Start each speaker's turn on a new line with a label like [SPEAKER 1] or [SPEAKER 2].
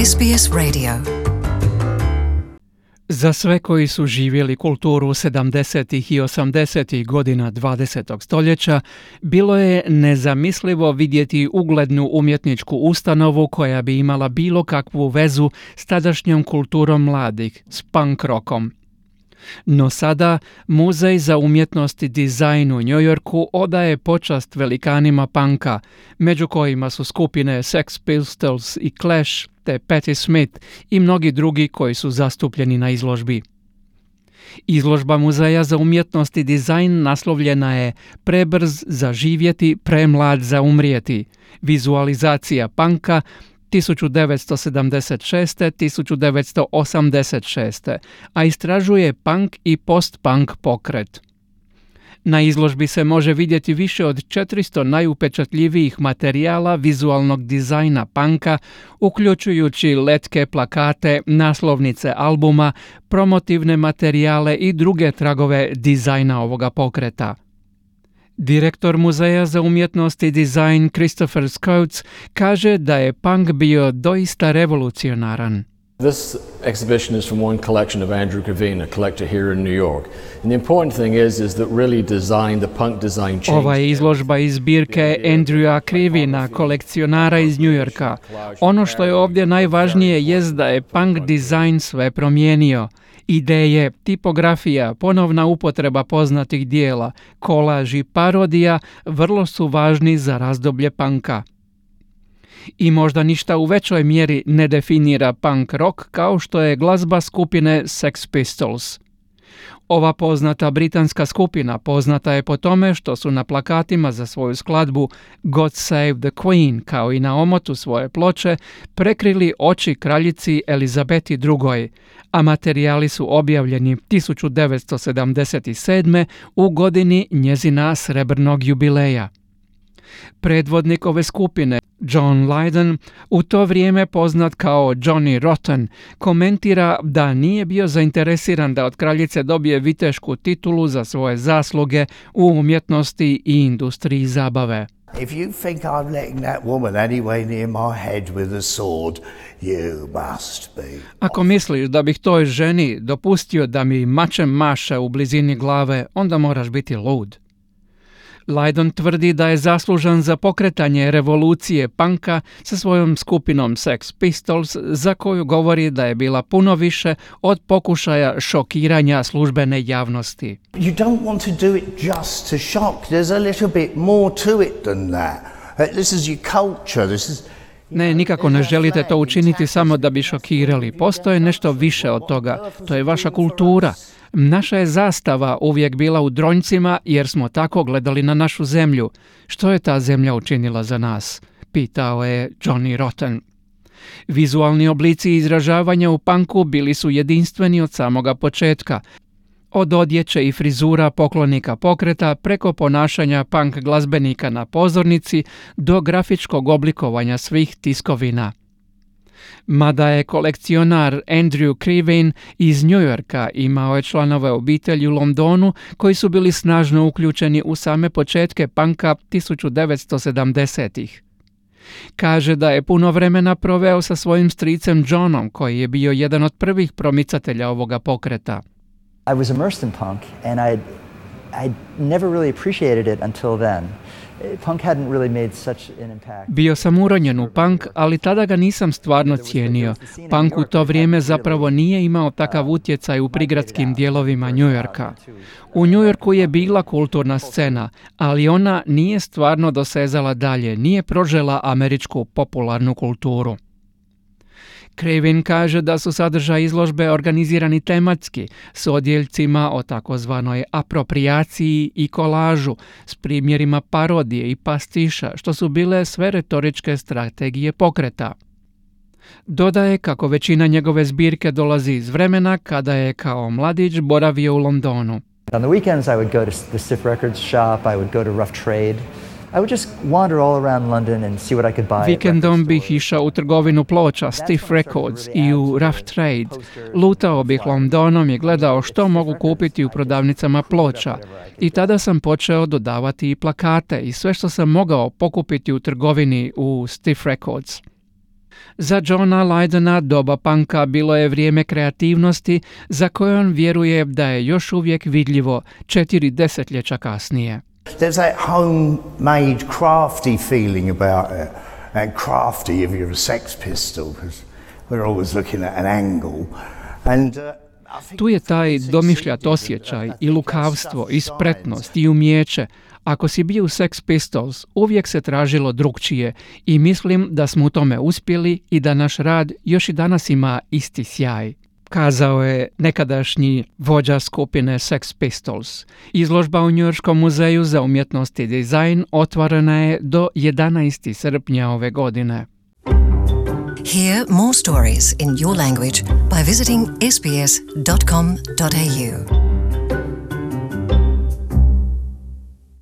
[SPEAKER 1] SBS Radio. Za sve koji su živjeli kulturu 70. i 80. godina 20. stoljeća, bilo je nezamislivo vidjeti uglednu umjetničku ustanovu koja bi imala bilo kakvu vezu s tadašnjom kulturom mladih, s punk rockom. No sada Muzej za umjetnost i dizajn u New Yorku odaje počast velikanima punka, među kojima su skupine Sex Pistols i Clash, te Patti Smith i mnogi drugi koji su zastupljeni na izložbi. Izložba Muzeja za umjetnost i dizajn naslovljena je Prebrz za živjeti, premlad za umrijeti. Vizualizacija punka 1976-1986, a istražuje punk i post-punk pokret. Na izložbi se može vidjeti više od 400 najupečatljivijih materijala vizualnog dizajna punka, uključujući letke, plakate, naslovnice albuma, promotivne materijale i druge tragove dizajna ovoga pokreta. Direktor Muzeja za umjetnost i dizajn Christopher Coates kaže da je punk bio doista revolucionaran.
[SPEAKER 2] This exhibition is from one collection of Andrew Krivine, a collector here in New York. And the important thing is that really the punk design changed.
[SPEAKER 1] Ova je izložba iz zbirke Andrewa Krivina, kolekcionara iz New Yorka. Ono što je ovdje najvažnije jest da je punk dizajn sve promijenio. Ideje, tipografija, ponovna upotreba poznatih dijela, kolaž i parodija vrlo su važni za razdoblje punka. I možda ništa u većoj mjeri ne definira punk rock kao što je glazba skupine Sex Pistols. Ova poznata britanska skupina poznata je po tome što su na plakatima za svoju skladbu God Save the Queen, kao i na omotu svoje ploče, prekrili oči kraljici Elizabeti II, a materijali su objavljeni 1977. u godini njezina srebrnog jubileja. Predvodnik ove skupine, John Lydon, u to vrijeme poznat kao Johnny Rotten, komentira da nije bio zainteresiran da od kraljice dobije vitešku titulu za svoje zasluge u umjetnosti i industriji zabave.
[SPEAKER 3] If you think I'm letting that woman anyway near my head with a sword, you must be.
[SPEAKER 1] Ako misliš da bih toj ženi dopustio da mi mačem maše u blizini glave, onda moraš biti lud. Lydon tvrdi da je zaslužan za pokretanje revolucije punka sa svojom skupinom Sex Pistols, za koju govori da je bila puno više od pokušaja šokiranja službene javnosti.
[SPEAKER 3] You don't want to do it just to shock. There's a little bit more to it than that. This is your culture.
[SPEAKER 1] Ne, nikako ne želite to učiniti samo da bi šokirali. Postoje nešto više od toga. To je vaša kultura. Naša je zastava uvijek bila u dronjcima jer smo tako gledali na našu zemlju. Što je ta zemlja učinila za nas? Pitao je Johnny Rotten. Vizualni oblici izražavanja u punku bili su jedinstveni od samoga početka. Od odjeće i frizura poklonika pokreta preko ponašanja punk glazbenika na pozornici do grafičkog oblikovanja svih tiskovina. Mada je kolekcionar Andrew Krivine iz New Yorka, imao je članove obitelji u Londonu koji su bili snažno uključeni u same početke punka 1970-ih. Kaže da je puno vremena proveo sa svojim stricem Johnom, koji je bio jedan od prvih promicatelja ovoga pokreta.
[SPEAKER 4] I was immersed in punk and I never really appreciated it until then. Punk hadn't really made such an impact.
[SPEAKER 1] Bio sam uronjen u punk, ali tada ga nisam stvarno cijenio. Punk u to vrijeme zapravo nije imao takav utjecaj u prigradskim dijelovima New Yorka. U New Yorku je bila kulturna scena, ali ona nije stvarno dosezala dalje, nije prožela američku popularnu kulturu. Krivin kaže da su sadržaj izložbe organizirani tematski, s odjeljcima o takozvanoj aproprijaciji i kolažu, s primjerima parodije i pastiša, što su bile sve retoričke strategije pokreta. Dodaje kako većina njegove zbirke dolazi iz vremena kada je kao mladić boravio u Londonu.
[SPEAKER 4] On the weekends I would go to the Stiff Records shop, I would go to Rough Trade. I would just wander all around London and see what I could buy.
[SPEAKER 1] Vikendom bih išao u trgovinu ploča Stiff Records i u Rough Trade. Lutao bih Londonom i gledao što mogu kupiti u prodavnicama ploča. I tada sam počeo dodavati i plakate i sve što sam mogao pokupiti u trgovini u Stiff Records. Za Johna Lydona doba punka bilo je vrijeme kreativnosti za koje on vjeruje da je još uvijek vidljivo 4 desetljeća kasnije.
[SPEAKER 3] There's that homemade, crafty feeling about it. And crafty if you're a Sex Pistol, because we're always looking at an angle. And
[SPEAKER 1] tu je taj domišljat osjećaj i lukavstvo i spretnost i umijeće. Ako si bio u Sex Pistols, uvijek se tražilo drukčije i mislim da smo u tome uspjeli i da naš rad još i danas ima isti sjaj, kazao je nekadašnji vođa skupine Sex Pistols. Izložba u Njujorškom muzeju za umjetnost i dizajn otvorena je do 11. srpnja ove godine.
[SPEAKER 5] Hear more stories in your language by visiting sbs.com.au.